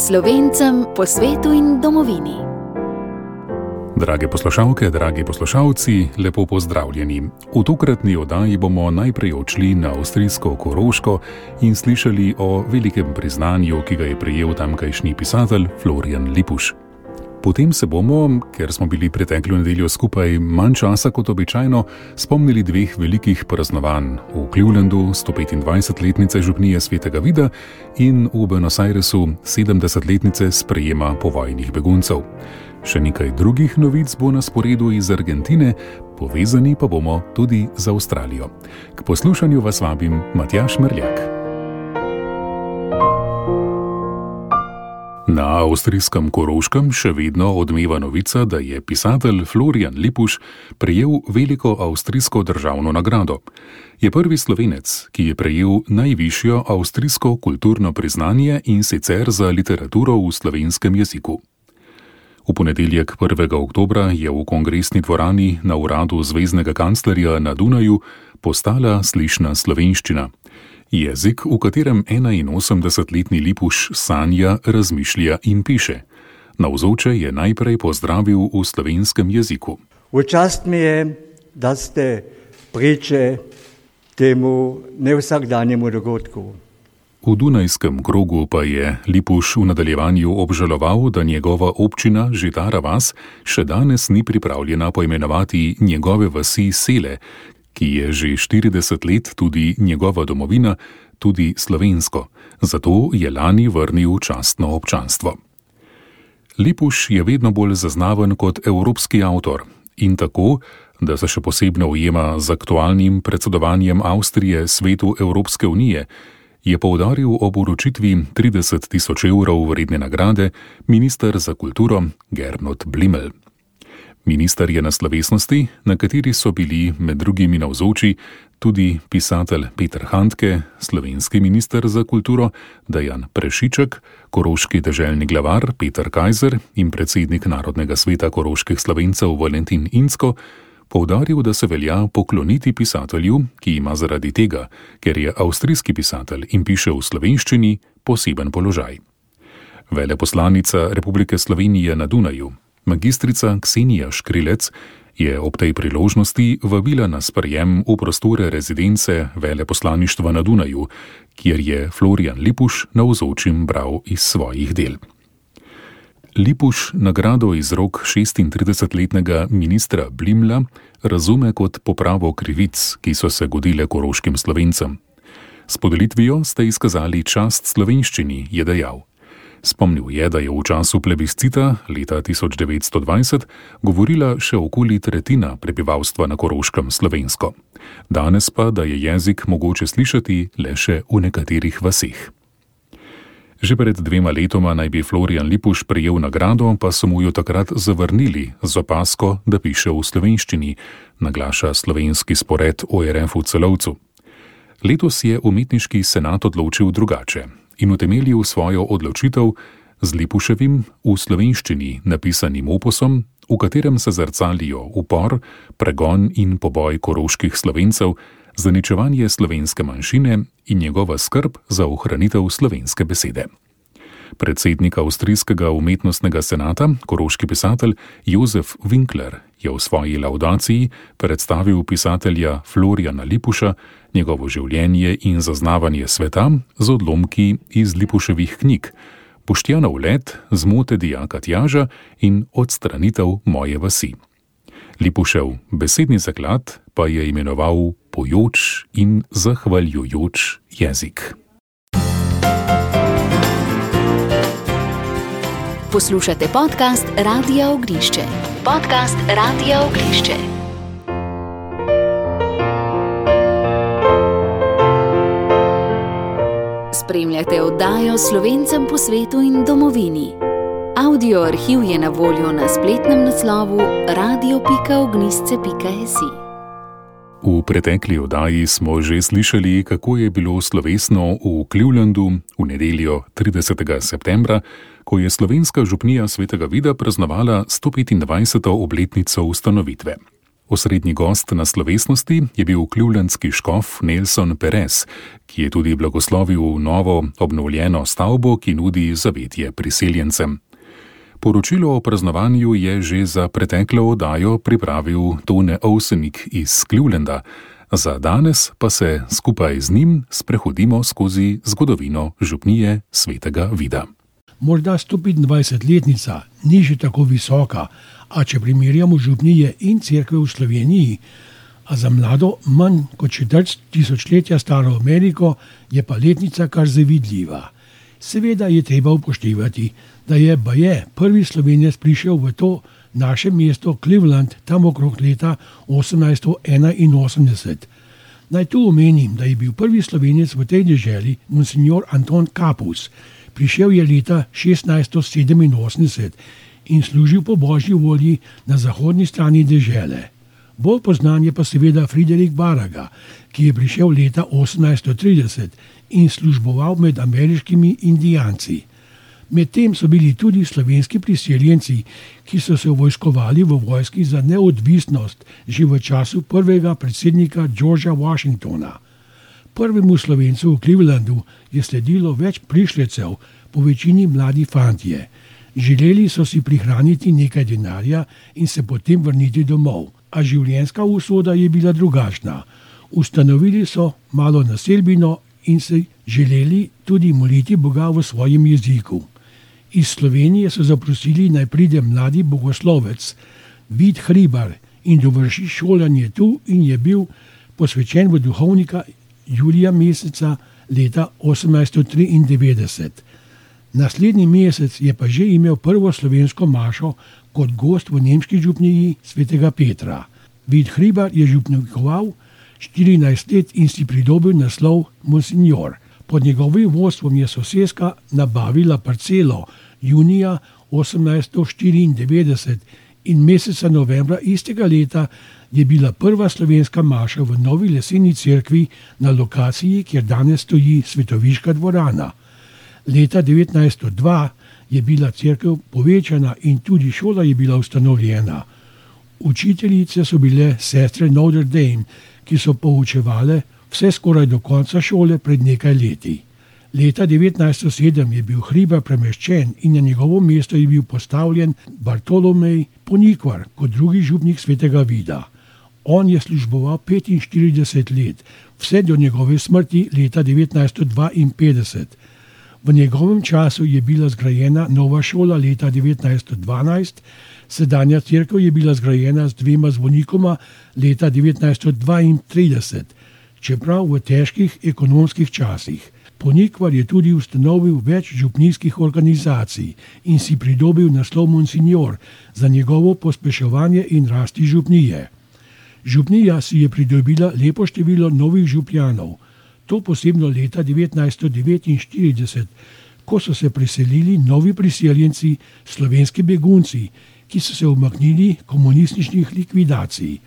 Slovencem po svetu in domovini. Drage poslušalke, dragi poslušalci, lepo pozdravljeni. V tokratni oddaji bomo najprej odšli na avstrijsko Koroško in slišali o velikem priznanju, ki ga je prejel tamkajšnji pisatelj Florian Lippusch. Potem se bomo, ker smo bili preteklo nedeljo skupaj manj časa kot običajno, spomnili dveh velikih praznovanj v Clevelandu 125-letnice župnije Svetega Vida in v Buenos Airesu 70-letnice sprejema povojnih beguncev. Še nekaj drugih novic bo na sporedu iz Argentine, povezani pa bomo tudi z Avstralijo. K poslušanju vas vabim Matjaž Merljak. Na avstrijskem Koroškem še vedno odmeva novica, da je pisatelj Florian Lippusch prejel veliko avstrijsko državno nagrado. Je prvi Slovenec, ki je prejel najvišjo avstrijsko kulturno priznanje in sicer za literaturo v slovenskem jeziku. V ponedeljek 1. oktobra je v kongresni dvorani na uradu zveznega kanclerja na Dunaju postala slišna slovenščina. Jezik, v katerem 81-letni Lippusch sanja, razmišlja in piše. Navzoče je najprej pozdravil v slovenskem jeziku. V čast mi je, da ste priče temu nevsakdanjemu dogodku. V Dunajskem krogu pa je Lippusch v nadaljevanju obžaloval, da njegova občina Žitara vas še danes ni pripravljena poimenovati njegove vasi Sele, ki je že 40 let tudi njegova domovina, tudi slovensko. Zato je lani vrnil častno občanstvo. Lippusch je vedno bolj zaznaven kot evropski avtor in tako, da se še posebno ujema z aktualnim predsedovanjem Avstrije svetu Evropske unije, je poudaril ob uročitvi 30 000 evrov vredne nagrade minister za kulturo Gernot Blimmel. Minister je na slovesnosti, na kateri so bili med drugimi navzoči tudi pisatelj Peter Handke, slovenski minister za kulturo Dejan Prešiček, koroški deželni glavar Peter Kajzer in predsednik Narodnega sveta koroških Slovencev Valentin Incko, poudaril, da se velja pokloniti pisatelju, ki ima zaradi tega, ker je avstrijski pisatelj in piše v slovenščini, poseben položaj. Veleposlanica Republike Slovenije na Dunaju, magistrica Ksenija Škrilec, je ob tej priložnosti vabila na sprejem v prostore rezidence veleposlaništva na Dunaju, kjer je Florian Lippusch navzočim bral iz svojih del. Lippusch nagrado iz rok 36-letnega ministra Blimmla razume kot popravo krivic, ki so se godile koroškim Slovencem. S podelitvijo ste izkazali čast slovenščini, je dejal. Spomnil je, da je v času plebiscita leta 1920 govorila še okoli tretjina prebivalstva na Koroškem slovensko. Danes pa, da je jezik mogoče slišati le še v nekaterih vaseh. Že pred 2 letoma naj bi Florian Lippusch prejel nagrado, pa so mu jo takrat zavrnili z opasko, da piše v slovenščini, naglaša slovenski spored ORF v Celovcu. Letos je umetniški senat odločil drugače in utemeljil svojo odločitev z Lippuschevim v slovenščini napisanim opusom, v katerem se zrcalijo upor, pregon in poboj koroških Slovencev, zaničevanje slovenske manjšine in njegova skrb za ohranitev slovenske besede. Predsednik avstrijskega umetnostnega senata, koroški pisatelj Josef Winkler, je v svoji laudaciji predstavil pisatelja Floriana Lipuscha, njegovo življenje in zaznavanje sveta z odlomki iz Lippuschevih knjig, Boštjanov let, Zmote dijaka Tjaža in Odstranitev moje vasi. Lippuschev besedni zaklad pa je imenoval pojoč in zahvaljujoč jezik. Poslušate podcast Radia Ognišče. Podcast Radia Ognišče. Spremljate oddajo Slovencem po svetu in domovini. Audio arhiv je na voljo na spletnem naslovu radio.ognisce.si. V pretekli oddaji smo že slišali, kako je bilo slovesno v Clevelandu v nedeljo 30. septembra, ko je slovenska župnija Svetega Vida praznovala 125. obletnico ustanovitve. Osrednji gost na slovesnosti je bil clevelandski škof Nelson Perez, ki je tudi blagoslovil novo obnovljeno stavbo, ki nudi zavetje priseljencem. Poročilo o praznovanju je že za preteklo oddajo pripravil Tone Ovsenik iz Clevelanda. Za danes pa se skupaj z njim sprehodimo skozi zgodovino župnije Svetega Vida. Morda 125-letnica ni že tako visoka, a če primerjamo župnije in cerkve v Sloveniji, a za mlado manj kot četrt tisočletja staro Ameriko, je pa letnica kar zavidljiva. Seveda je treba upoštevati, da je baje prvi Slovenec prišel v to naše mesto Cleveland tam okrog leta 1881. Naj tu omenim, da je bil prvi Slovenec v tej deželi monsignor Anton Kapus. Prišel je leta 1687 in služil po božji volji na zahodni strani dežele. Bolj poznan je pa seveda Friderik Baraga, ki je prišel leta 1830 in služboval med ameriškimi indijanci. Medtem so bili tudi slovenski priseljenci, ki so se vojskovali v vojski za neodvisnost že v času prvega predsednika Georgea Washingtona. Prvemu Slovencu v Clevelandu je sledilo več prišlecev, po večini mladi fantje. Želeli so si prihraniti nekaj denarja in se potem vrniti domov, a življenjska usoda je bila drugačna. Ustanovili so malo naselbino in se želeli tudi moliti Boga v svojem jeziku. Iz Slovenije so zaprosili, naj pride mladi bogoslovec Vid Hribar in dovrši šolanje tu in je bil posvečen v duhovnika julija meseca leta 1893. Naslednji mesec je pa že imel prvo slovensko mašo kot gost v nemški župniji Svetega Petra. Vid Hribar je župnikoval 14 let in si pridobil naslov monsignor. Pod njegovim vodstvom je soseska nabavila parcelo junija 1894 in meseca novembra istega leta je bila prva slovenska maša v novi leseni cerkvi na lokaciji, kjer danes stoji Svetoviška dvorana. Leta 1902 je bila cerkev povečana in tudi šola je bila ustanovljena. Učiteljice so bile sestre Notre Dame, ki so poučevale vse skoraj do konca šole pred nekaj leti. Leta 1907 je bil Hribar premeščen in na njegovo mesto je bil postavljen Bartolomej Ponikvar kot drugi župnik Svetega Vida. On je služboval 45 let, vse do njegove smrti leta 1952. V njegovem času je bila zgrajena nova šola leta 1912, sedanja cerkev je bila zgrajena z 2 zvonikoma leta 1932, čeprav v težkih ekonomskih časih. Ponikvar je tudi ustanovil več župnijskih organizacij in si pridobil naslov monsignor za njegovo pospeševanje in rasti župnije. Župnija si je pridobila lepo število novih župljanov, to posebno leta 1949, ko so se preselili novi priseljenci, slovenski begunci, ki so se umaknili komunističnih likvidacij.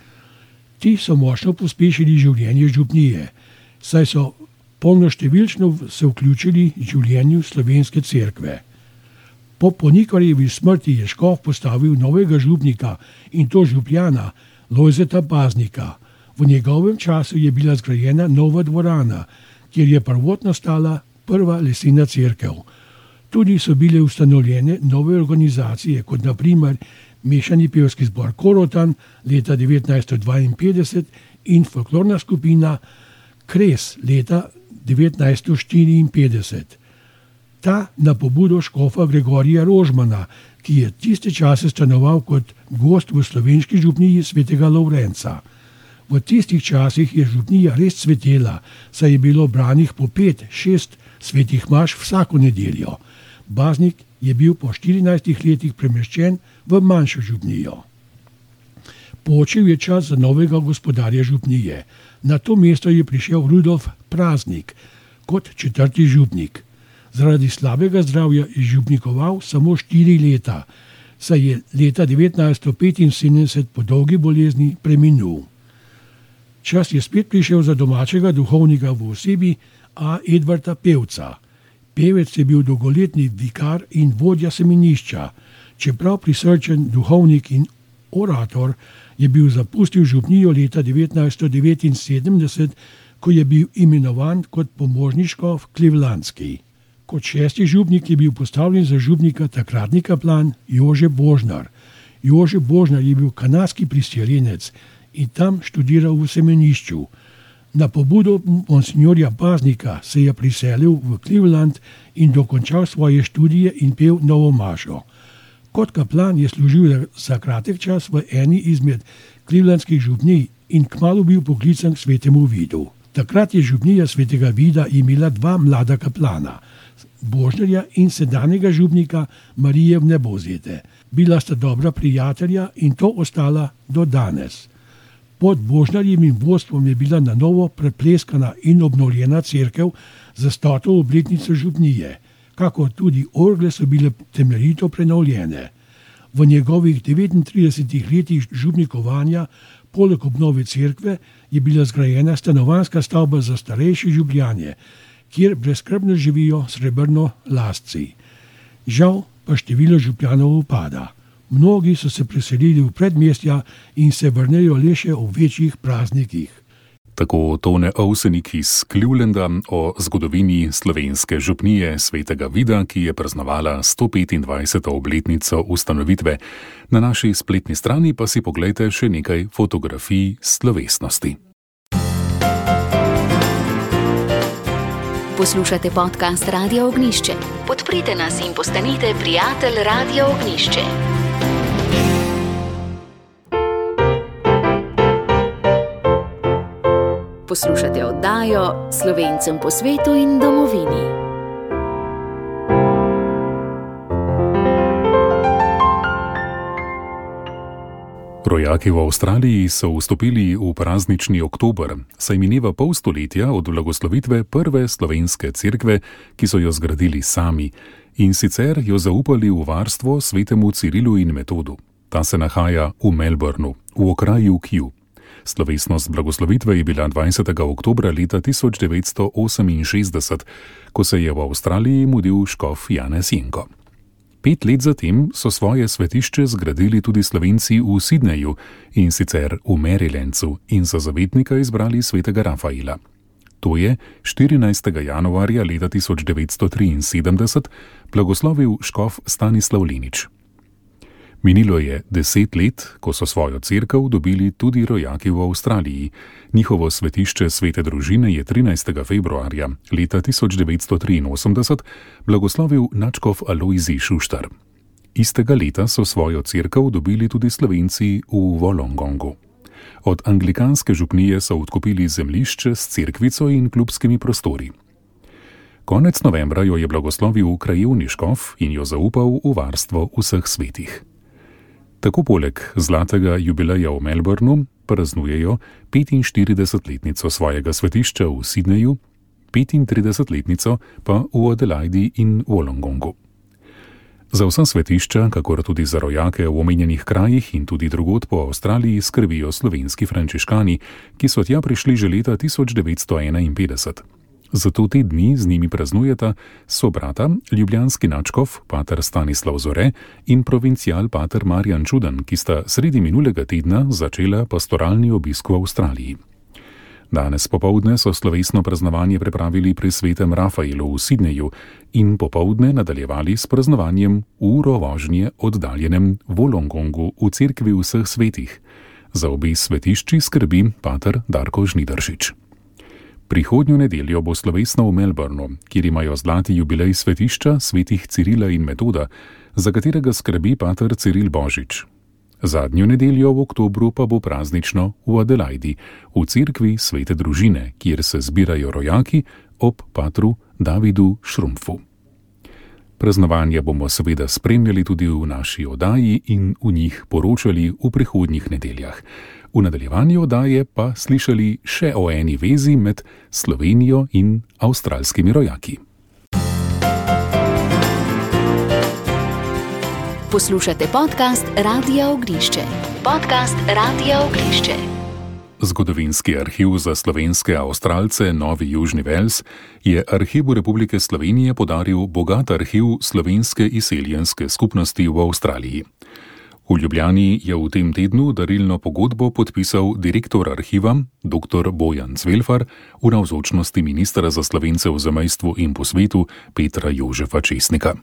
Ti so močno pospešili življenje župnije, saj so polnoštevilčno se vključili v življenju slovenske cerkve. Po Ponikvarjevi smrti je škof postavil novega župnika in to župljana Lojzeta Baznika. V njegovem času je bila zgrajena nova dvorana, kjer je prvotno stala prva lesena cerkev. Tudi so bile ustanovljene nove organizacije, kot na primer Mešani pevski zbor Korotan leta 1952 in folklorna skupina Kres leta 1954. Ta na pobudo škofa Gregorija Rožmana, ki je tiste čase stanoval kot gost v slovenski župniji Svetega Lovrenca. V tistih časih je župnija res cvetela, saj je bilo branih po 5-6 svetih maš vsako nedeljo. Baznik je bil po 14 letih premeščen v manjšo župnijo. Počil je čas za novega gospodarja župnije. Na to mesto je prišel Rudolf Praznik kot 4. župnik. Zaradi slabega zdravja je župnikoval samo 4 leta, saj je leta 1975 po dolgi bolezni preminul. Čas je spet prišel za domačega duhovnika v osebi A. Edvarda Pevca. Pevec je bil dolgoletni vikar in vodja semenišča, čeprav prisrčen duhovnik in orator, je bil zapustil župnijo leta 1979, ko je bil imenovan kot pomožni škof Clevelandski. Kot 6. župnik je bil postavljen za župnika takratni kaplan Jože Božnar. Jože Božnar je bil kanadski priseljenec in tam študiral v semenišču. Na pobudo monsignorja Paznika se je priselil v Cleveland in dokončal svoje študije in pel novo mašo. Kot kaplan je služil za kratek čas v eni izmed clevelandskih župnij in kmalu bil poklican k svetemu Vidu. Takrat je župnija svetega Vida imela 2 mlada kaplana, Božnarja in sedanjega župnika Marije Vnebovzete. Bila sta dobra prijatelja in to ostala do danes. Pod Božnarjevim vodstvom je bila na novo prepleskana in obnovljena cerkev za 100. obletnico župnije, kakor tudi orgle so bile temeljito prenovljene. V njegovih 39 letih župnikovanja, poleg obnove cerkve, je bila zgrajena stanovanjska stavba za starejše župljanje, kjer brezskrbno živijo srebrnolasci. Žal pa število župljanov upada. Mnogi so se preselili v predmestja in se vrnejo le še ob večjih praznikih. Tako Tone Ovsenik iz Clevelanda o zgodovini slovenske župnije svetega Vida, ki je praznovala 125. obletnico ustanovitve. Na naši spletni strani pa si poglejte še nekaj fotografij slovesnosti. Poslušate podcast Radia Ognjišče. Podprite nas in postanite prijatelj Radia Ognjišče. Poslušate oddajo Slovencem po svetu in domovini. Rojaki v Avstraliji so vstopili v praznični oktober, saj mineva pol stoletja od blagoslovitve prve slovenske cerkve, ki so jo zgradili sami, in sicer jo zaupali v varstvo svetemu Cirilu in Metodu. Ta se nahaja v Melbournu, v okraju Kew. Slovesnost blagoslovitve je bila 20. oktobra leta 1968, ko se je v Avstraliji mudil škof Janez Jenko. 5 let zatem so svoje svetišče zgradili tudi Slovenci v Sydneyju, in sicer v Marylandu, in za zavetnika izbrali svetega Rafaela. To je 14. januarja leta 1973 blagoslovil škof Stanislav Lenič. Minilo je 10 let, ko so svojo cerkev dobili tudi rojaki v Avstraliji. Njihovo svetišče svete družine je 13. februarja leta 1983 blagoslovil nadškof Alojzij Šuštar. Istega leta so svojo cerkev dobili tudi Slovenci v Wollongongu. Od anglikanske župnije so odkupili zemljišče s cerkvico in klubskimi prostori. Konec novembra jo je blagoslovil krajevni škof in jo zaupal v varstvo vseh svetih. Tako poleg zlatega jubileja v Melbournu praznujejo 45-letnico svojega svetišča v Sydneyju, 35-letnico pa v Adelaidi in Wollongongu. Za vsa svetišča, kakor tudi za rojake v omenjenih krajih in tudi drugod po Avstraliji skrbijo slovenski frančiškani, ki so tja prišli že leta 1951. Zato te dni z njimi praznujeta sobrata, ljubljanski nadškof pater Stanislav Zore in provincial pater Marjan Čudan, ki sta sredi minulega tedna začela pastoralni obisk v Avstraliji. Danes popoldne so slovesno praznovanje pripravili pri svetem Rafaelu v Sydneyju in popoldne nadaljevali s praznovanjem uro vožnje oddaljenem Wollongongu v cerkvi vseh svetih. Za obe svetišči skrbi pater Darko Žnidaršič. Prihodnjo nedeljo bo slovesno v Melbournu, kjer imajo zlati jubilej svetišča svetih Cirila in Metoda, za katerega skrbi pater Ciril Božič. Zadnjo nedeljo v oktobru pa bo praznično v Adelaidi, v cerkvi svete družine, kjer se zbirajo rojaki ob patru Davidu Šrumpfu. Praznovanja bomo seveda spremljali tudi v naši oddaji in v njih poročali v prihodnjih nedeljah. V nadaljevanju oddaje pa slišali še o eni vezi med Slovenijo in avstralskimi rojaki. Poslušate podcast Radia Ognjišče. Podcast Radia Ognjišče. Zgodovinski arhiv za slovenske Avstralce Novi Južni Vels je Arhivu Republike Slovenije podaril bogat arhiv slovenske izseljenske skupnosti v Avstraliji. V Ljubljani je v tem tednu darilno pogodbo podpisal direktor arhiva dr. Bojan Cvelfar v navzočnosti ministra za Slovence v zamejstvu in po svetu Petra Jožefa Česnika.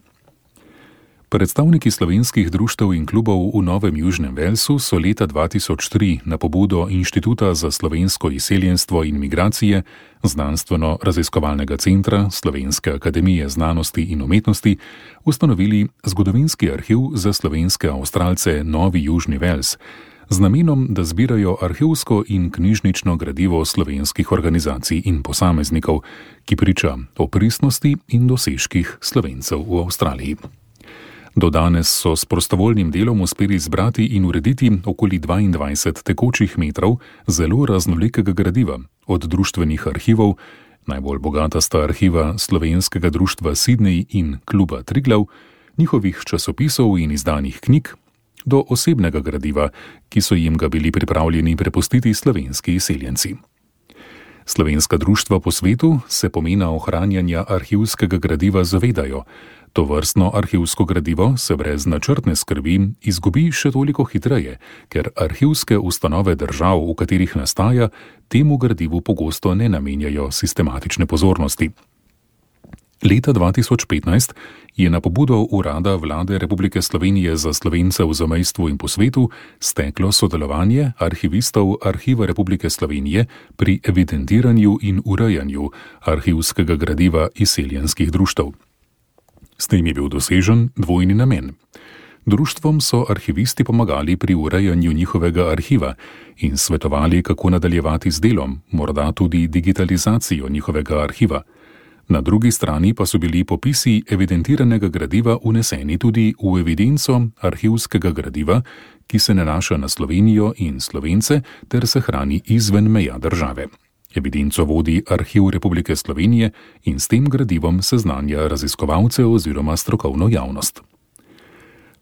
Predstavniki slovenskih društev in klubov v Novem Južnem Velsu so leta 2003 na pobudo Inštituta za slovensko izseljenstvo in migracije, Znanstveno-raziskovalnega centra Slovenske akademije znanosti in umetnosti ustanovili zgodovinski arhiv za slovenske Avstralce Novi Južni Vels z namenom, da zbirajo arhivsko in knjižnično gradivo slovenskih organizacij in posameznikov, ki priča o pristnosti in dosežkih Slovencev v Avstraliji. Do danes so s prostovoljnim delom uspeli zbrati in urediti okoli 22 tekočih metrov zelo raznolikega gradiva, od društvenih arhivov, najbolj bogata sta arhiva Slovenskega društva Sydney in Kluba Triglav, njihovih časopisov in izdanih knjig, do osebnega gradiva, ki so jim ga bili pripravljeni prepustiti slovenski izseljenci. Slovenska društva po svetu se pomena ohranjanja arhivskega gradiva zavedajo. Tovrstno arhivsko gradivo se brez načrtne skrbi izgubi še toliko hitreje, ker arhivske ustanove držav, v katerih nastaja, temu gradivu pogosto ne namenjajo sistematične pozornosti. Leta 2015 je na pobudo Urada Vlade Republike Slovenije za Slovence v zamejstvu in po svetu steklo sodelovanje arhivistov Arhiva Republike Slovenije pri evidentiranju in urejanju arhivskega gradiva izseljenskih društev. S tem je bil dosežen dvojni namen. Društvom so arhivisti pomagali pri urejanju njihovega arhiva in svetovali, kako nadaljevati z delom, morda tudi digitalizacijo njihovega arhiva. Na drugi strani pa so bili popisi evidentiranega gradiva uneseni tudi v evidenco arhivskega gradiva, ki se nanaša na Slovenijo in Slovence ter se hrani izven meja države. Evidenco vodi Arhiv Republike Slovenije in s tem gradivom seznanja raziskovalce oziroma strokovno javnost.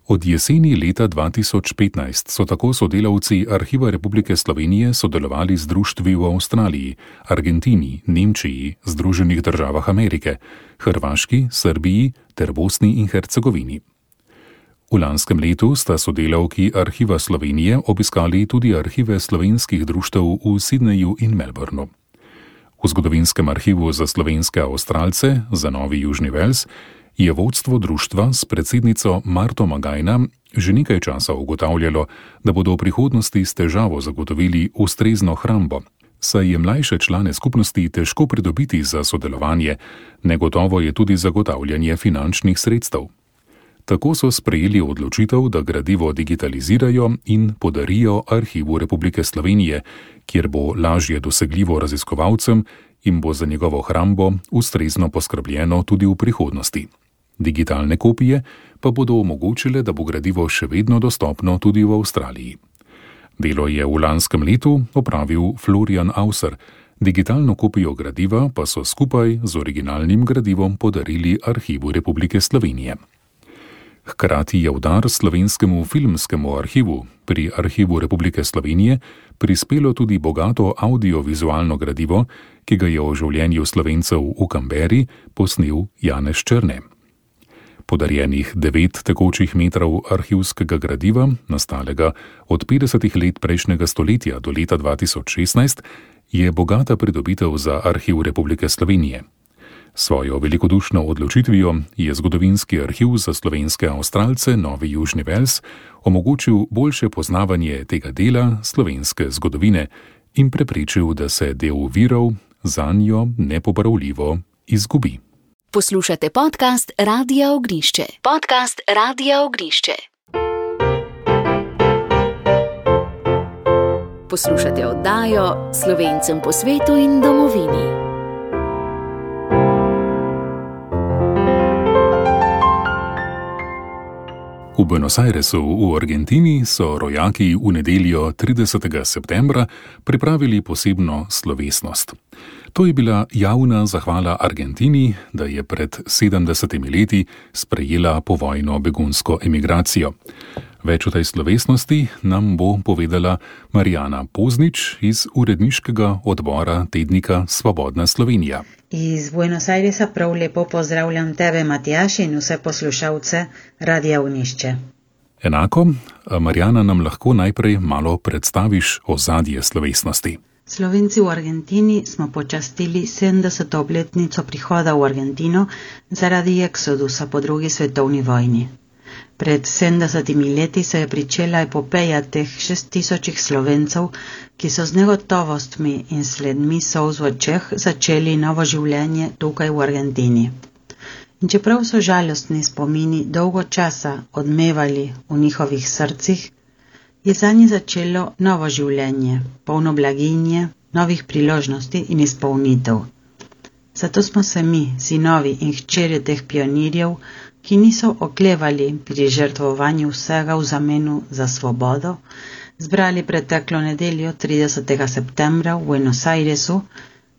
Od jeseni leta 2015 so tako sodelavci Arhiva Republike Slovenije sodelovali z društvi v Avstraliji, Argentini, Nemčiji, Združenih državah Amerike, Hrvaški, Srbiji ter Bosni in Hercegovini. V lanskem letu sta sodelavki Arhiva Slovenije obiskali tudi arhive slovenskih društev v Sydneyju in Melbourneu. V zgodovinskem arhivu za slovenske Avstralce za Novi Južni Vels je vodstvo društva s predsednico Marto Magajna že nekaj časa ugotavljalo, da bodo v prihodnosti s težavo zagotovili ustrezno hrambo, saj je mlajše člane skupnosti težko pridobiti za sodelovanje, negotovo je tudi zagotavljanje finančnih sredstev. Tako so sprejeli odločitev, da gradivo digitalizirajo in podarijo Arhivu Republike Slovenije, kjer bo lažje dosegljivo raziskovalcem in bo za njegovo hrambo ustrezno poskrbljeno tudi v prihodnosti. Digitalne kopije pa bodo omogočile, da bo gradivo še vedno dostopno tudi v Avstraliji. Delo je v lanskem letu opravil Florian Auser, digitalno kopijo gradiva pa so skupaj z originalnim gradivom podarili Arhivu Republike Slovenije. Hkrati je v dar slovenskemu filmskemu arhivu pri Arhivu Republike Slovenije prispelo tudi bogato audiovizualno gradivo, ki ga je o življenju Slovencev v Canberri posnel Janez Črne. Podarjenih 9 tekočih metrov arhivskega gradiva, nastalega od 50 let prejšnjega stoletja do leta 2016, je bogata pridobitev za Arhiv Republike Slovenije. Svojo velikodušno odločitvijo je zgodovinski arhiv za slovenske Avstralce Novi Južni Vels omogočil boljše poznavanje tega dela slovenske zgodovine in preprečil, da se del virov zanjo nepopravljivo izgubi. Poslušate podcast Radia Ognišče. Podcast Radia Ognišče. Poslušate oddajo Slovencem po svetu in domovini. V Buenos Airesu v Argentini so rojaki v nedeljo 30. septembra pripravili posebno slovesnost. To je bila javna zahvala Argentini, da je pred 70 leti sprejela povojno begunsko emigracijo. Več o tej slovesnosti nam bo povedala Marijana Poznič iz uredniškega odbora tednika Svobodna Slovenija. Iz Buenos Airesa prav lepo pozdravljam tebe, Matjaž, in vse poslušalce Radia Ognišče. Enako, Marjana, nam lahko najprej malo predstaviš ozadje slovesnosti. Slovenci v Argentini smo počastili 70. obletnico prihoda v Argentino zaradi eksodusa po drugi svetovni vojni. Pred 70 leti se je pričela epopeja teh 6000 Slovencev, ki so z negotovostmi in sledmi solz v očeh začeli novo življenje tukaj v Argentini. In čeprav so žalostni spomini dolgo časa odmevali v njihovih srcih, je zanje začelo novo življenje, polno blaginje, novih priložnosti in izpolnitev. Zato smo se mi, sinovi in hčerje teh pionirjev, ki niso oklevali pri žrtvovanju vsega v zamenu za svobodo, zbrali preteklo nedeljo 30. septembra v Buenos Airesu,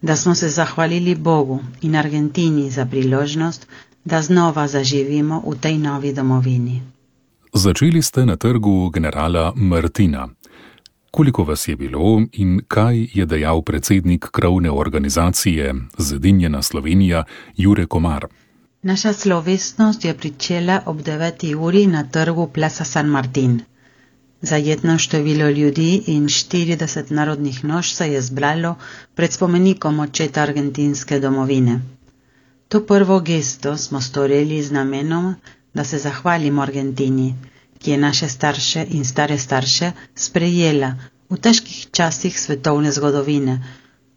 da smo se zahvalili Bogu in Argentini za priložnost, da znova zaživimo v tej novi domovini. Začeli ste na trgu generala Martina. Koliko vas je bilo in kaj je dejal predsednik krovne organizacije Zedinjena Slovenija Jure Komar? Naša slovesnost je pričela ob 9. uri na trgu Plaza San Martín. Zajetno število ljudi in 40 narodnih noš se je zbralo pred spomenikom očeta argentinske domovine. To prvo gesto smo storili z namenom, da se zahvalimo Argentini, ki je naše starše in stare starše sprejela v težkih časih svetovne zgodovine,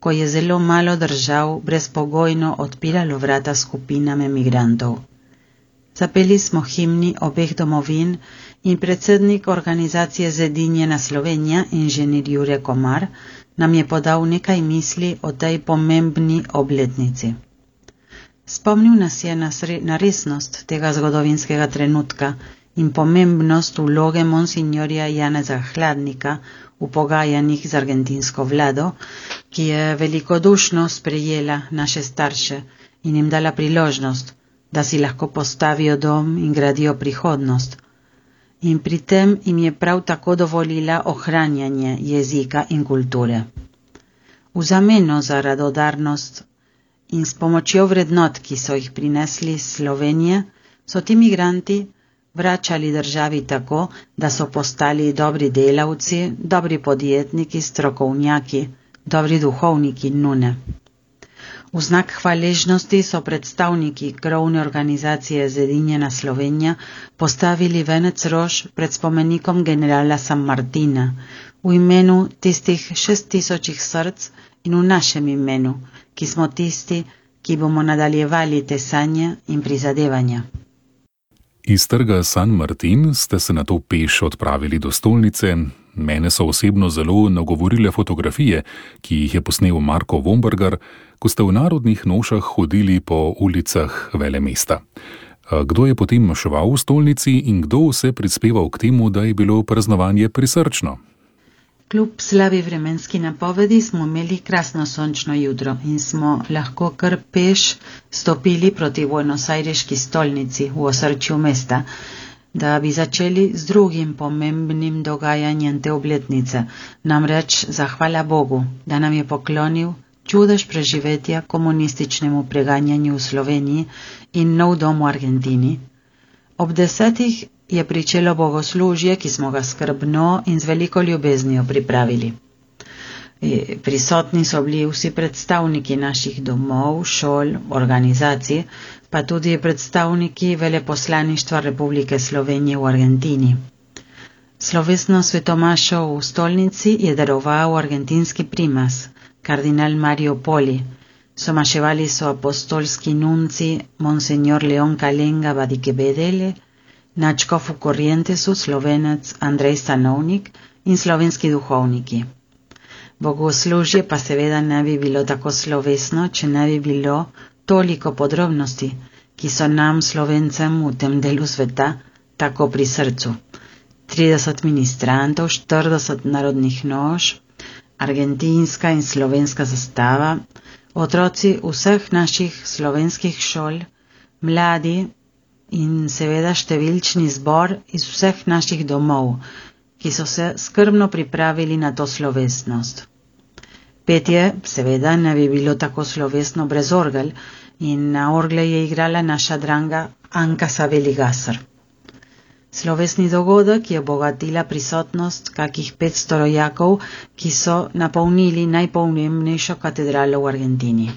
ko je zelo malo držav brezpogojno odpiralo vrata skupinam emigrantov. Zapeli smo himni obeh domovin in predsednik organizacije Zedinjena Slovenija, inženir Jure Komar, nam je podal nekaj misli o tej pomembni obletnici. Spomnil nas je na resnost tega zgodovinskega trenutka in pomembnost vloge monsignorja Janeza Hladnika v pogajanjih z argentinsko vlado, ki je velikodušno sprejela naše starše in jim dala priložnost, da si lahko postavijo dom in gradijo prihodnost. In pri tem jim je prav tako dovolila ohranjanje jezika in kulture. V zameno za radodarnost in s pomočjo vrednot, ki so jih prinesli iz Slovenije, so ti migranti vračali državi tako, da so postali dobri delavci, dobri podjetniki, strokovnjaki, dobri duhovniki in nune. V znak hvaležnosti so predstavniki krovne organizacije Zedinjena Slovenija postavili venec rož pred spomenikom generala San Martina v imenu tistih 6000 src in v našem imenu, ki smo tisti, ki bomo nadaljevali te sanje in prizadevanja. Iz trga San Martin ste se nato peš odpravili do stolnice. Mene so osebno zelo nagovorile fotografije, ki jih je posnel Marko Vombergar, ko ste v narodnih nošah hodili po ulicah velemesta. Kdo je potem maševal v stolnici in kdo vse prispeval k temu, da je bilo praznovanje prisrčno? Kljub slabi vremenski napovedi smo imeli krasno sončno jutro in smo lahko kar peš stopili proti Buenos Aireški stolnici v osrčju mesta, da bi začeli z drugim pomembnim dogajanjem te obletnice, namreč zahvala Bogu, da nam je poklonil čudež preživetja komunističnemu preganjanju v Sloveniji in nov dom v Argentini. Ob 10. je pričelo bogoslužje, ki smo ga skrbno in z veliko ljubeznijo pripravili. Prisotni so bili vsi predstavniki naših domov, šol, organizacij, pa tudi predstavniki veleposlaništva Republike Slovenije v Argentini. Slovesno svetomašo v stolnici je daroval argentinski primas, kardinal Mario Poli. Somaševali so apostolski nunci Monseñor León Kalenga Badikebedele, nadškof v Corrientesu Slovenec Andrej Stanovnik in slovenski duhovniki. Bogoslužje pa seveda ne bi bilo tako slovesno, če ne bi bilo toliko podrobnosti, ki so nam Slovencem v tem delu sveta tako pri srcu. 30 ministrantov, 40 narodnih noš, argentinska in slovenska zastava, otroci vseh naših slovenskih šol, mladi in seveda številčni zbor iz vseh naših domov, ki so se skrbno pripravili na to slovesnost. Petje seveda ne bi bilo tako slovesno brez orgel in na orgle je igrala naša dranga Anka Saveli Gasar. Slovesni dogodek je obogatila prisotnost kakih 500 rojakov, ki so napolnili najpomembnejšo katedralo v Argentini.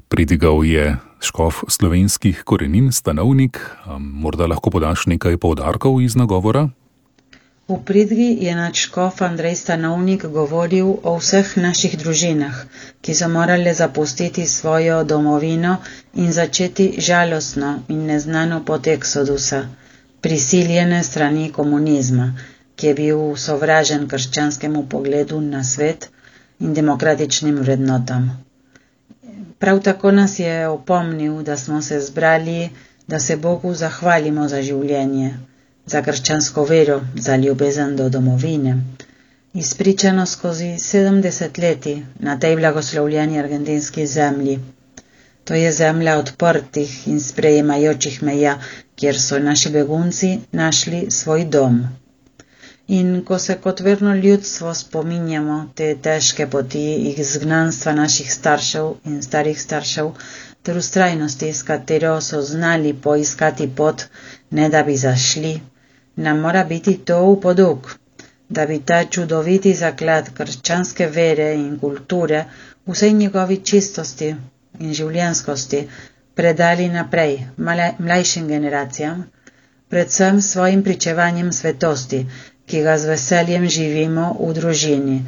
Pridigal je škof slovenskih korenin, Stanovnik. Morda lahko podaš nekaj poudarkov iz nagovora? V pridgi je nadškof Andrej Stanovnik govoril o vseh naših družinah, ki so morale zapustiti svojo domovino in začeti žalostno in neznano pot eksodusa, prisiljene strani komunizma, ki je bil sovražen krščanskemu pogledu na svet in demokratičnim vrednotam. Prav tako nas je opomnil, da smo se zbrali, da se Bogu zahvalimo za življenje, za krščansko vero, za ljubezen do domovine, izpričano skozi 70 leti na tej blagoslovljeni argentinski zemlji. To je zemlja odprtih in sprejemajočih meja, kjer so naši begunci našli svoj dom. In ko se kot verno ljudstvo spominjamo te težke poti izgnanstva naših staršev in starih staršev, ter ustrajnosti, s katero so znali poiskati pot, ne da bi zašli, nam mora biti to v poduk, da bi ta čudoviti zaklad krščanske vere in kulture vsej njegovi čistosti in življenskosti predali naprej mlajšim generacijam, predvsem svojim pričevanjem svetosti, ki ga z veseljem živimo v družini,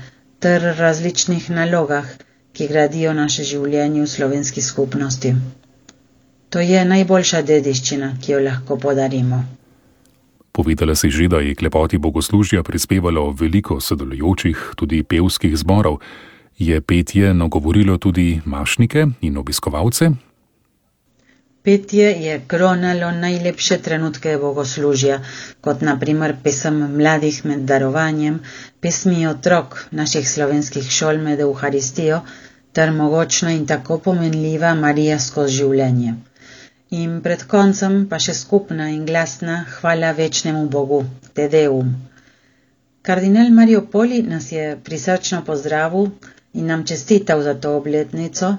ter različnih nalogah, ki gradijo naše življenje v slovenski skupnosti. To je najboljša dediščina, ki jo lahko podarimo. Povedala si že, da je k lepoti bogoslužja prispevalo veliko sodelujočih, tudi pevskih zborov. Je petje nagovorilo tudi mašnike in obiskovalce? Petje je kronalo najlepše trenutke bogoslužja, kot na primer pesem mladih med darovanjem, pesmi otrok naših slovenskih šol med Euharistijo, ter mogočna in tako pomenljiva Marija skozi življenje. In pred koncem pa še skupna in glasna hvala večnemu Bogu, Te Deum. Kardinal Mario Poli nas je prisrčno pozdravil in nam čestital za to obletnico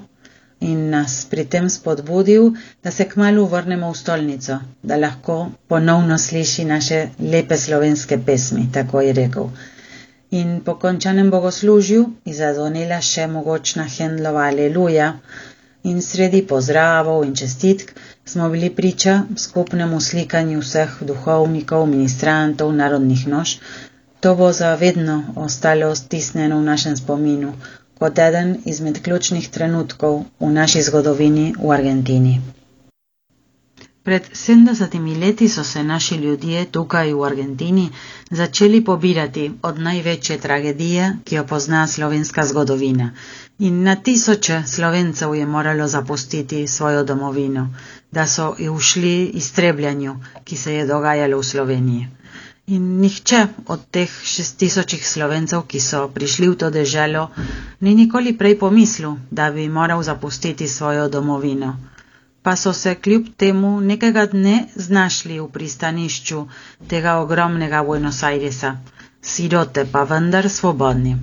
in nas pri tem spodbudil, da se kmalu vrnemo v stolnico, da lahko ponovno sliši naše lepe slovenske pesmi, tako je rekel. In po končanem bogoslužju je zadonela še mogočna Händlova Aleluja in sredi pozdravov in čestitk smo bili priča skupnemu slikanju vseh duhovnikov, ministrantov, narodnih noš. To bo za vedno ostalo stisnjeno v našem spominu, kot eden izmed ključnih trenutkov v naši zgodovini v Argentini. Pred 70 leti so se naši ljudje tukaj v Argentini začeli pobirati od največje tragedije, ki jo pozna slovenska zgodovina. In na tisoče Slovencev je moralo zapustiti svojo domovino, da so ušli iztrebljanju, ki se je dogajalo v Sloveniji. In nihče od teh 6000 Slovencev, ki so prišli v to deželo, ni nikoli prej pomislil, da bi moral zapustiti svojo domovino. Pa so se kljub temu nekega dne znašli v pristanišču tega ogromnega Buenos Airesa, sirote pa vendar svobodni.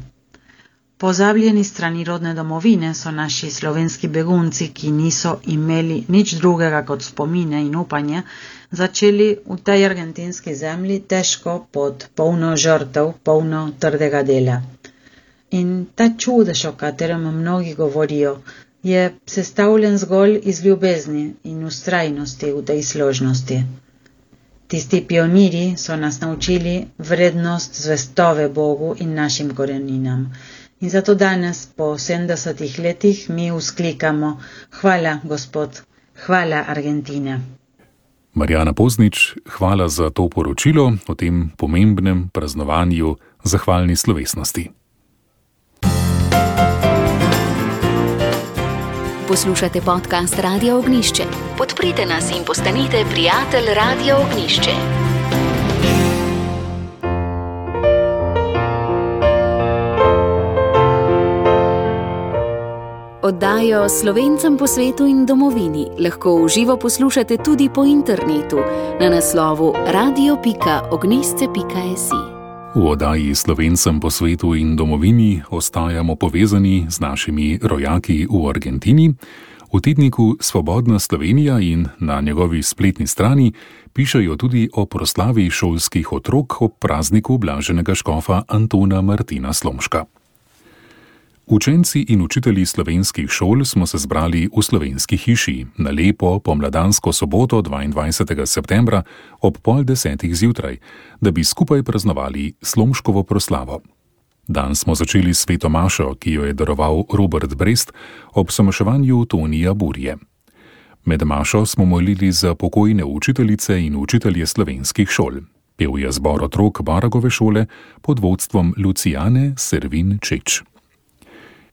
Pozabljeni strani rodne domovine so naši slovenski begunci, ki niso imeli nič drugega kot spomine in upanje, začeli v tej argentinski zemlji težko pot, polno žrtev, polno trdega dela. In ta čudež, o katerem mnogi govorijo, je sestavljen zgolj iz ljubezni in ustrajnosti v tej složnosti. Tisti pionirji so nas naučili vrednost zvestove Bogu in našim koreninam. In zato danes, po 70 letih, mi vzklikamo: hvala, Gospod, hvala, Argentina. Marjana Poznič, hvala za to poročilo o tem pomembnem praznovanju zahvalni slovesnosti. Poslušate podcast Radia Ognjišče. Podprite nas in postanite prijatelj Radia Ognjišče. Oddajo Slovencem po svetu in domovini lahko v živo poslušate tudi po internetu na naslovu radio.ognisce.si. V oddaji Slovencem po svetu in domovini ostajamo povezani z našimi rojaki v Argentini. V V tedniku Svobodna Slovenija in na njegovi spletni strani pišejo tudi o proslavi šolskih otrok ob prazniku blaženega škofa Antona Martina Slomška. Učenci in učitelji slovenskih šol smo se zbrali v Slovenski hiši na lepo pomladansko soboto 22. septembra ob 9:30 zjutraj, da bi skupaj praznovali Slomškovo proslavo. Dan smo začeli s sveto mašo, ki jo je daroval Robert Brest ob samaševanju Tonija Burje. Med mašo smo molili za pokojne učiteljice in učitelje slovenskih šol. Pel je zbor otrok Baragove šole pod vodstvom Lucijane Servin Čeč.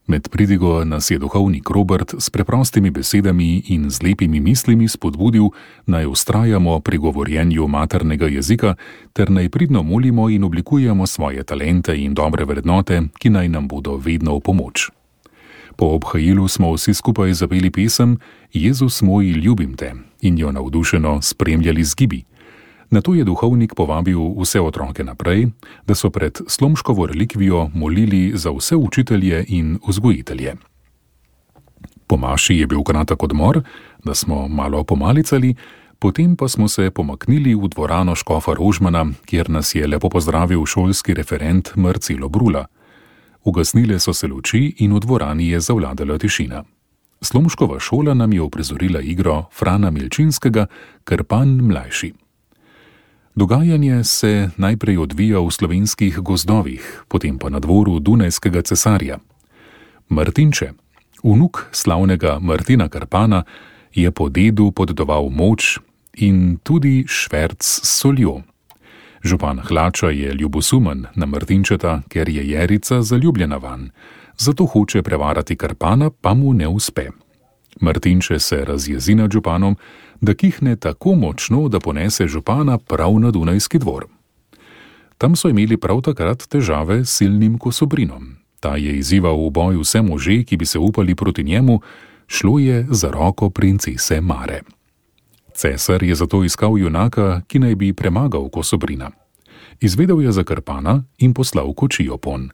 Med pridigo nas je duhovnik Robert s preprostimi besedami in z lepimi mislimi spodbudil, naj vztrajamo pri govorjenju maternega jezika ter naj pridno molimo in oblikujemo svoje talente in dobre vrednote, ki naj nam bodo vedno v pomoč. Po obhajilu smo vsi skupaj zapeli pesem Jezus moj, ljubim te in jo navdušeno spremljali z gibi. Nato je duhovnik povabil vse otroke naprej, da so pred Slomškovo relikvijo molili za vse učitelje in vzgojitelje. Po maši je bil kratek odmor, da smo malo pomalicali, potem pa smo se pomaknili v dvorano škofa Rožmana, kjer nas je lepo pozdravil šolski referent Marcelo Brula. Ugasnile so se luči in v dvorani je zavladala tišina. Slomškova šola nam je uprizorila igro Frana Milčinskega Krpan mlajši. Dogajanje se najprej odvija v slovenskih gozdovih, potem pa na dvoru Dunajskega cesarja. Martinče, vnuk slavnega Martina Krpana, je po dedu podedoval moč in tudi šverc s soljo. Župan Hlača je ljubosumen na Martinčeta, ker je Jerica zaljubljena vanj, zato hoče prevarati Krpana, pa mu ne uspe. Martinče se razjezi nad županom, da kihne tako močno, da ponese župana prav na Dunajski dvor. Tam so imeli prav takrat težave s silnim Kosobrinom. Ta je izzival v boj vse može, ki bi se upali proti njemu, šlo je za roko princese Mare. Cesar je zato iskal junaka, ki naj bi premagal Kosobrina. Izvedel je za Krpana in poslal kočijo ponj.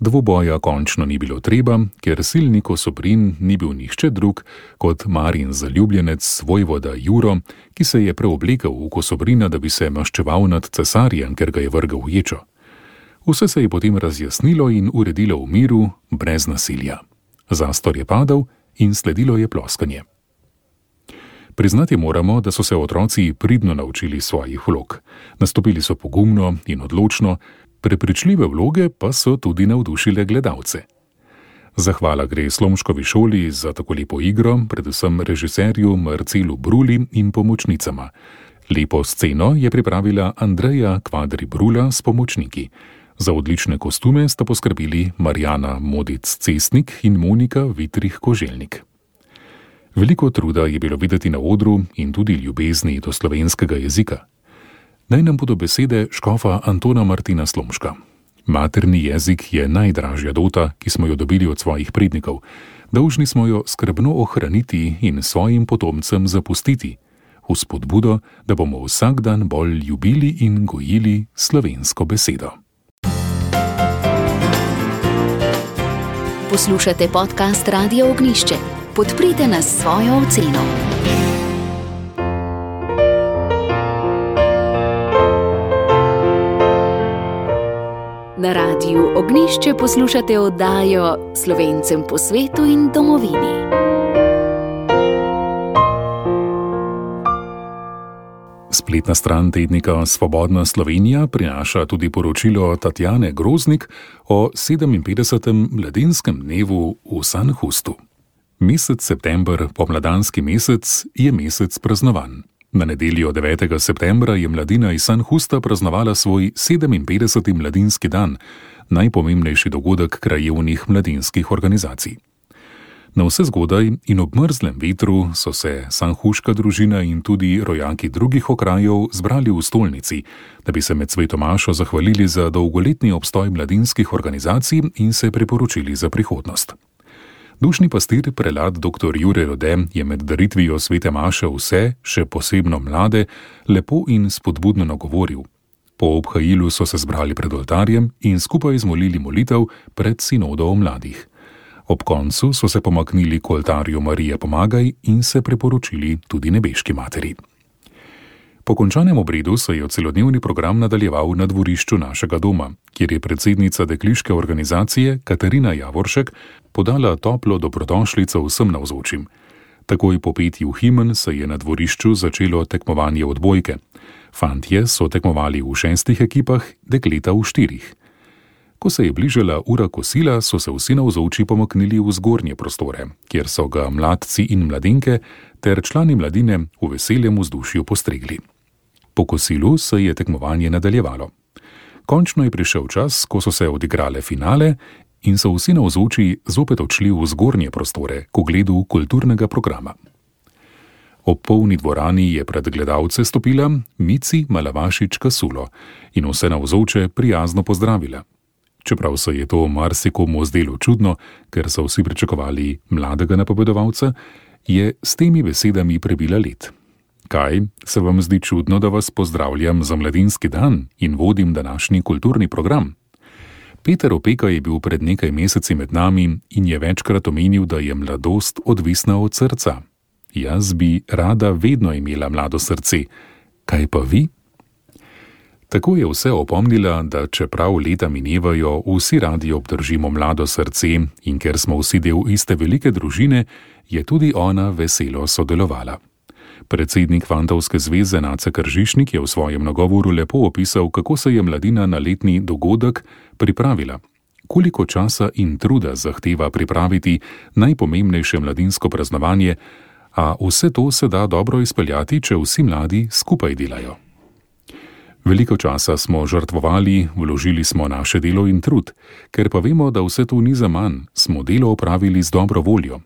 Dvoboja končno ni bilo treba, ker silni Kosobrin ni bil nihče drug kot Marin zaljubljenec vojvoda Juro, ki se je preoblekel v Kosobrina, da bi se maščeval nad cesarjem, ker ga je vrgel v ječo. Vse se je potem razjasnilo in uredilo v miru, brez nasilja. Zastor je padel in sledilo je ploskanje. Priznati moramo, da so se otroci pridno naučili svojih vlog. Nastopili so pogumno in odločno, prepričljive vloge pa so tudi navdušile gledalce. Zahvala gre Slomškovi šoli za tako lepo igro, predvsem režiserju Marcelu Bruli in pomočnicama. Lepo sceno je pripravila Andreja Kvadri Brula s pomočniki. Za odlične kostume sta poskrbeli Marjana Modic-Cestnik in Monika Vitrih-Koželjnik. Veliko truda je bilo videti na odru in tudi ljubezni do slovenskega jezika. Naj nam bodo besede škofa Antona Martina Slomška. Materni jezik je najdražja dota, ki smo jo dobili od svojih prednikov. Dolžni smo jo skrbno ohraniti in svojim potomcem zapustiti, v spodbudo, da bomo vsak dan bolj ljubili in gojili slovensko besedo. Poslušate podcast Radia Ognjišče. Podprite nas s svojo oceno. Na Radiu Ognjišče poslušate oddajo Slovencem po svetu in domovini. Spletna stran tednika Svobodna Slovenija prinaša tudi poročilo Tatjane Groznik o 57. mladinskem dnevu v Sanhustu. Mesec september, pomladanski mesec, je mesec praznovanj. Na nedeljo 9. septembra je mladina iz Sanhusta praznovala svoj 57. mladinski dan, najpomembnejši dogodek krajevnih mladinskih organizacij. Na vse zgodaj in ob mrzlem vetru so se sanhuška družina in tudi rojaki drugih okrajev zbrali v stolnici, da bi se med svetomašo zahvalili za dolgoletni obstoj mladinskih organizacij in se priporočili za prihodnost. Dušni pastir prelat dr. Jure Rode je med daritvijo svete maše vse, še posebno mlade, lepo in spodbudno nagovoril. Po obhajilu so se zbrali pred oltarjem in skupaj izmolili molitev pred sinodo o mladih. Ob koncu so se pomaknili k oltarju Marije Pomagaj in se preporočili tudi nebeški materi. Po končanem obredu se je celodnevni program nadaljeval na dvorišču našega doma, kjer je predsednica dekliške organizacije Katarina Javoršek podala toplo dobrodošlico vsem navzočim. Takoj po petju himen se je na dvorišču začelo tekmovanje odbojke. Fantje so tekmovali v 6 ekipah, dekleta v 4. Ko se je bližala ura kosila, so se vsi navzoči pomaknili v zgornje prostore, kjer so ga mladci in mladenke ter člani mladine v veseljem vzdušju postregli. Po kosilu se je tekmovanje nadaljevalo. Končno je prišel čas, ko so se odigrale finale in so vsi navzoči zopet odšli v zgornje prostore k ogledu kulturnega programa. Ob polni dvorani je pred gledalce stopila Mici Malavašič Kasulo in vse navzoče prijazno pozdravila. Čeprav se je to marsikomu zdelo čudno, ker so vsi pričakovali mladega napovedovalca, je s temi besedami prebila led. Kaj, se vam zdi čudno, da vas pozdravljam za mladinski dan in vodim današnji kulturni program? Peter Opeka je bil pred nekaj meseci med nami in je večkrat omenil, da je mladost odvisna od srca. Jaz bi rada vedno imela mlado srce. Kaj pa vi? Tako je vse opomnila, da čeprav leta minevajo, vsi radi obdržimo mlado srce in ker smo vsi del iste velike družine, je tudi ona veselo sodelovala. Predsednik Fantovske zveze Nace Kržišnik je v svojem nagovoru lepo opisal, kako se je mladina na letni dogodek pripravila, koliko časa in truda zahteva pripraviti najpomembnejše mladinsko praznovanje, a vse to se da dobro izpeljati, če vsi mladi skupaj delajo. Veliko časa smo žrtvovali, vložili smo naše delo in trud, ker pa vemo, da vse to ni zaman, smo delo opravili z dobro voljo.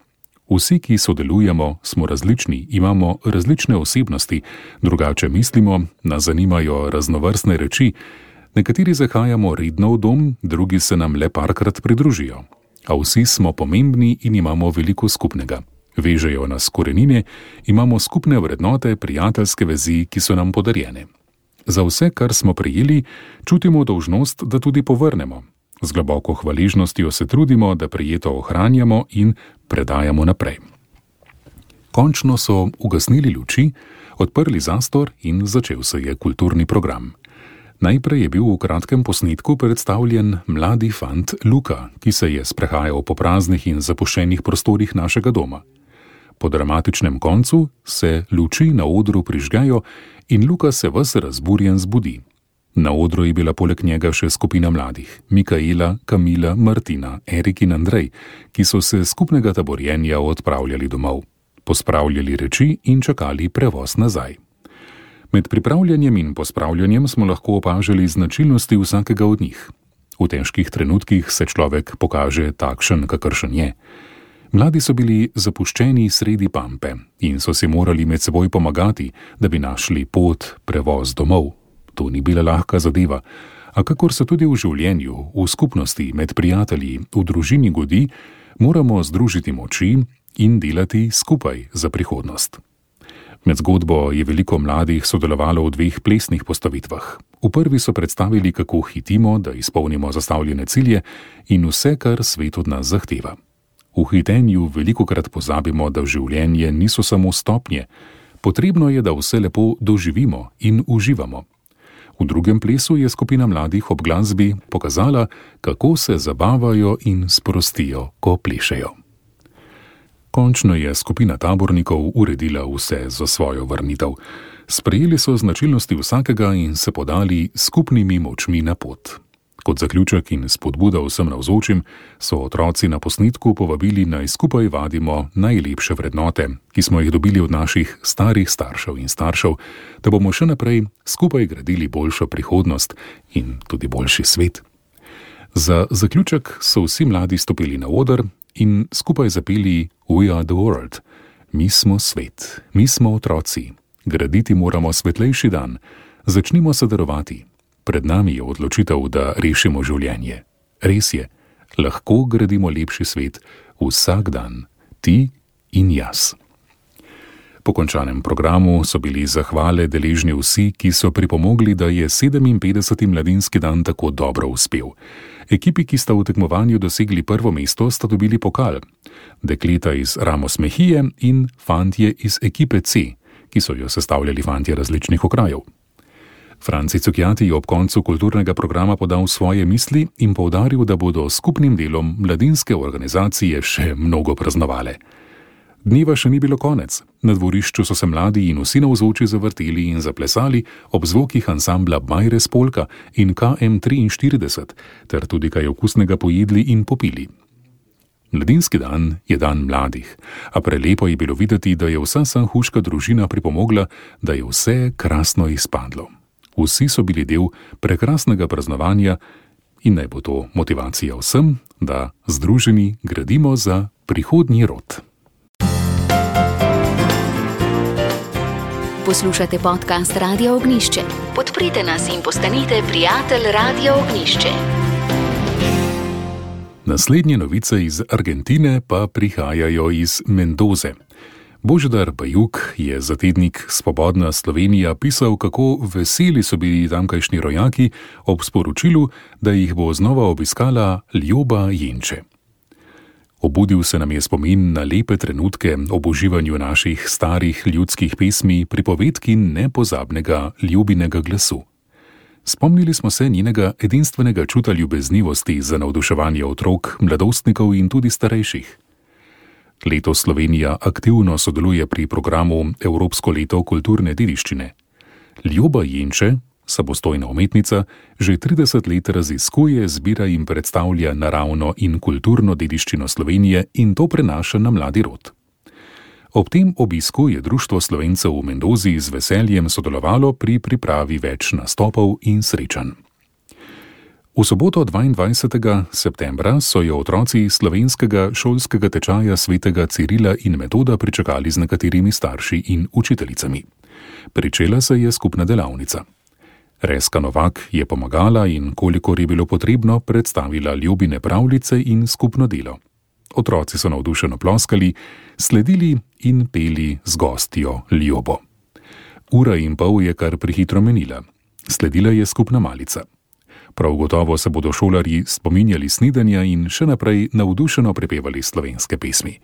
Vsi, ki sodelujemo, smo različni, imamo različne osebnosti, drugače mislimo, nas zanimajo raznovrstne reči, nekateri zahajamo redno v dom, drugi se nam le parkrat pridružijo. A vsi smo pomembni in imamo veliko skupnega. Vežejo nas korenine, imamo skupne vrednote, prijateljske vezi, ki so nam podarjene. Za vse, kar smo prejeli, čutimo dolžnost, da tudi povrnemo. Z globoko hvaležnostjo se trudimo, da prejeto ohranjamo in predajamo naprej. Končno so ugasnili luči, odprli zastor in začel se je kulturni program. Najprej je bil v kratkem posnetku predstavljen mladi fant Luka, ki se je sprehajal po praznih in zapuščenih prostorih našega doma. Po dramatičnem koncu se luči na odru prižgajo in Luka se ves razburjen zbudi. Na odru je bila poleg njega še skupina mladih, Mikaela, Kamila, Martina, Erik in Andrej, ki so se skupnega taborjenja odpravljali domov, pospravljali reči in čakali prevoz nazaj. Med pripravljanjem in pospravljanjem smo lahko opažali značilnosti vsakega od njih. V težkih trenutkih se človek pokaže takšen, kakršen je. Mladi so bili zapuščeni sredi pampe in so si morali med seboj pomagati, da bi našli pot, prevoz domov. To ni bila lahka zadeva, a kakor se tudi v življenju, v skupnosti, med prijatelji, v družini godi, moramo združiti moči in delati skupaj za prihodnost. Med zgodbo je veliko mladih sodelovalo v 2 plesnih postavitvah. V prvi so predstavili, kako hitimo, da izpolnimo zastavljene cilje in vse, kar svet od nas zahteva. V hitenju velikokrat pozabimo, da življenje niso samo stopnje. Potrebno je, da vse lepo doživimo in uživamo. V drugem plesu je skupina mladih ob glasbi pokazala, kako se zabavajo in sprostijo, ko plešejo. Končno je skupina tabornikov uredila vse za svojo vrnitev. Sprejeli so značilnosti vsakega in se podali skupnimi močmi na pot. Kot zaključek in spodbuda vsem navzočim so otroci na posnetku povabili, naj skupaj vadimo najlepše vrednote, ki smo jih dobili od naših starih staršev in staršev, da bomo še naprej skupaj gradili boljšo prihodnost in tudi boljši svet. Za zaključek so vsi mladi stopili na oder in skupaj zapeli We are the world. Mi smo svet, mi smo otroci. Graditi moramo svetlejši dan. Začnimo se darovati. Pred nami je odločitev, da rešimo življenje. Res je, lahko gradimo lepši svet vsak dan, ti in jaz. Po končanem programu so bili zahvale deležni vsi, ki so pripomogli, da je 57. mladinski dan tako dobro uspel. Ekipi, ki sta v tekmovanju dosegli prvo mesto, sta dobili pokal. Dekleta iz Ramos Mejije in fantje iz ekipe C, ki so jo sestavljali fantje različnih okrajev. Franci Cukjati je ob koncu kulturnega programa podal svoje misli in poudaril, da bodo s skupnim delom mladinske organizacije še mnogo praznovale. Dneva še ni bilo konec. Na dvorišču so se mladi in vsi navzoči zavrteli in zaplesali ob zvokih ansambla Bajres Polka in KM43, ter tudi kaj okusnega pojedli in popili. Mladinski dan je dan mladih, a prelepo je bilo videti, da je vsa sanhuška družina pripomogla, da je vse krasno izpadlo. Vsi so bili del prekrasnega praznovanja in naj bo to motivacija vsem, da združeni gradimo za prihodnji rod. Poslušate podcast Radia Ognjišče. Podprite nas in postanite prijatelj Radia Ognjišče. Naslednje novice iz Argentine pa prihajajo iz Mendoze. Božidar Bajuk je za tednik Svobodna Slovenija pisal, kako veseli so bili tamkajšnji rojaki ob sporočilu, da jih bo znova obiskala Ljoba Jenče. Obudil se nam je spomin na lepe trenutke ob uživanju naših starih ljudskih pesmi, pripovedki nepozabnega Ljubinega glasu. Spomnili smo se njenega edinstvenega čuta ljubeznivosti za navduševanje otrok, mladostnikov in tudi starejših. Letos Slovenija aktivno sodeluje pri programu Evropsko leto kulturne dediščine. Ljoba Jenče, samostojna umetnica, že 30 let raziskuje, zbira in predstavlja naravno in kulturno dediščino Slovenije in to prenaša na mladi rod. Ob tem obisku je Društvo Slovencev v Mendozi z veseljem sodelovalo pri pripravi več nastopov in srečanj. V soboto 22. septembra so jo otroci slovenskega šolskega tečaja svetega Cirila in Metoda pričakali z nekaterimi starši in učiteljicami. Pričela se je skupna delavnica. Reska Novak je pomagala in, kolikor je bilo potrebno, predstavila Ljubine pravljice in skupno delo. Otroci so navdušeno ploskali, sledili in peli z gostjo Ljobo. Ura in pol je kar prehitro menila. Sledila je skupna malica. Prav gotovo se bodo šolarji spominjali snidanja in še naprej navdušeno prepevali slovenske pesmi.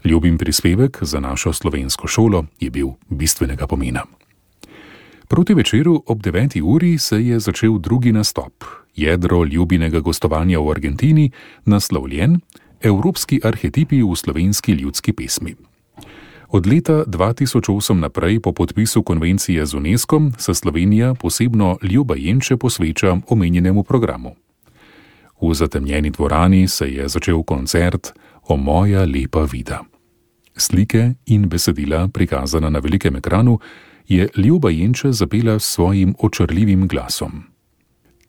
Ljubin prispevek za našo slovensko šolo je bil bistvenega pomena. Proti večeru ob 9. uri se je začel drugi nastop, jedro Ljubinega gostovanja v Argentini, naslovljen Evropski arhetipi v slovenski ljudski pesmi. Od leta 2008 naprej po podpisu konvencije z UNESCO se Slovenija posebno Ljoba Jenče posveča omenjenemu programu. V zatemnjeni dvorani se je začel koncert O moja lepa vida. Slike in besedila, prikazana na velikem ekranu, je Ljoba Jenče zapela s svojim očarljivim glasom.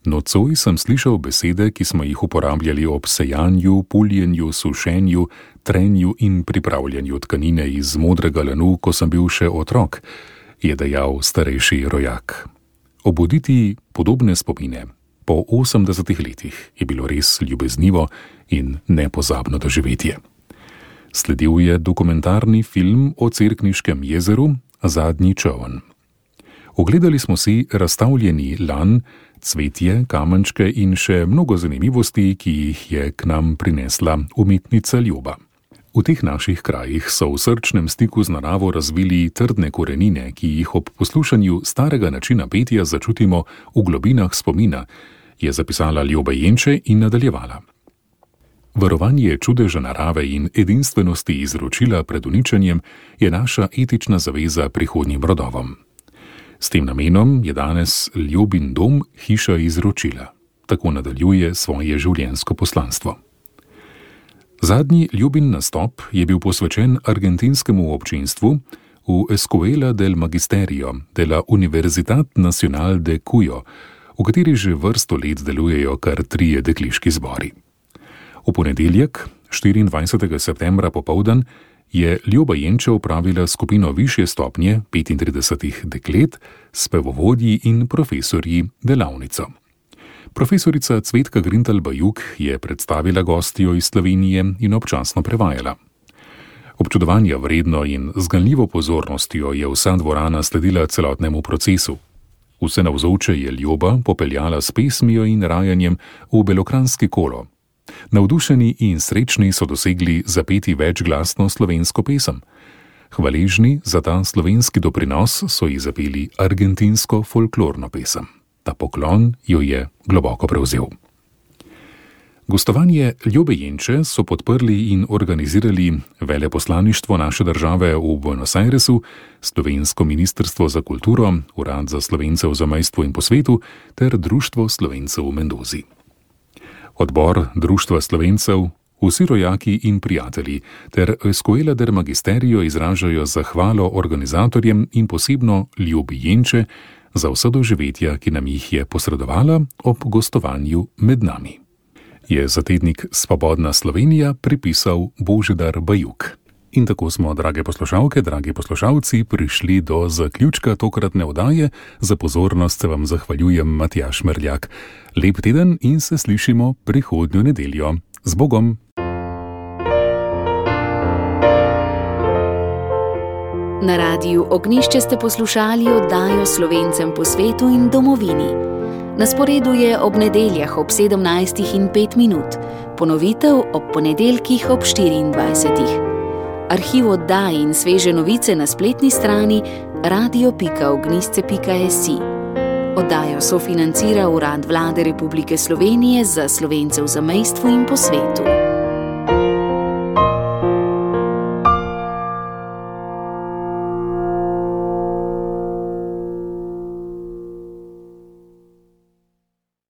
Nocoj sem slišal besede, ki smo jih uporabljali ob sejanju, puljenju, sušenju, trenju in pripravljanju tkanine iz modrega lanu, ko sem bil še otrok, je dejal starejši rojak. Obuditi podobne spomine po 80 letih je bilo res ljubeznivo in nepozabno doživetje. Sledil je dokumentarni film o Cerkniškem jezeru Zadnji čoln. Ogledali smo si razstavljeni lan, cvetje, kamenčke in še mnogo zanimivosti, ki jih je k nam prinesla umetnica Ljoba. V teh naših krajih so v srčnem stiku z naravo razvili trdne korenine, ki jih ob poslušanju starega načina petja začutimo v globinah spomina, je zapisala Ljoba Jenče in nadaljevala. Varovanje čudeža narave in edinstvenosti izročila pred uničenjem je naša etična zaveza prihodnjim rodovom. S tem namenom je danes Ljubin dom hiša izročila. Tako nadaljuje svoje življenjsko poslanstvo. Zadnji Ljubin nastop je bil posvečen argentinskemu občinstvu v Escuela del Magisterio de la Universidad Nacional de Cuyo, v kateri že vrsto let delujejo kar 3 dekliški zbori. V ponedeljek, 24. septembra popoldan, je Ljoba Jenče opravila skupino višje stopnje 35 deklet, spevovodji in profesorji delavnico. Profesorica Cvetka Grintal Bajuk je predstavila gostjo iz Slovenije in občasno prevajala. Občudovanja vredno in z ganljivo pozornostjo je vsa dvorana sledila celotnemu procesu. Vse navzoče je Ljuba popeljala s pesmijo in rajanjem v belokranjski kolo. Navdušeni in srečni so dosegli zapeti večglasno slovensko pesem. Hvaležni za ta slovenski doprinos so ji zapeli argentinsko folklorno pesem. Ta poklon jo je globoko prevzel. Gostovanje Ljube Jenče so podprli in organizirali veleposlaništvo naše države v Buenos Airesu, Slovensko ministrstvo za kulturo, Urad za Slovence v zamejstvu in po svetu ter Društvo Slovencev v Mendozi. Odbor Društva Slovencev, vsi rojaki in prijatelji ter Escuela del Magisterio izražajo zahvalo organizatorjem in posebno Ljubi Jenče za vsa doživetja, ki nam jih je posredovala ob gostovanju med nami. Je za tednik Svobodna Slovenija pripisal Božidar Bajuk. In tako smo, drage poslušalke, dragi poslušalci, prišli do zaključka tokratne oddaje. Za pozornost se vam zahvaljujem, Matjaž Merljak. Lep teden in se slišimo prihodnjo nedeljo. Z Bogom! Na radiju Ognjišče ste poslušali oddajo Slovencem po svetu in domovini. Na sporedu je ob nedeljah ob 17:05, ponovitev ob ponedeljkih ob 24. Arhiv oddaj in sveže novice na spletni strani radio.ognjišče.si. Oddajo sofinancira Urad Vlade Republike Slovenije za Slovence v zamejstvu in po svetu.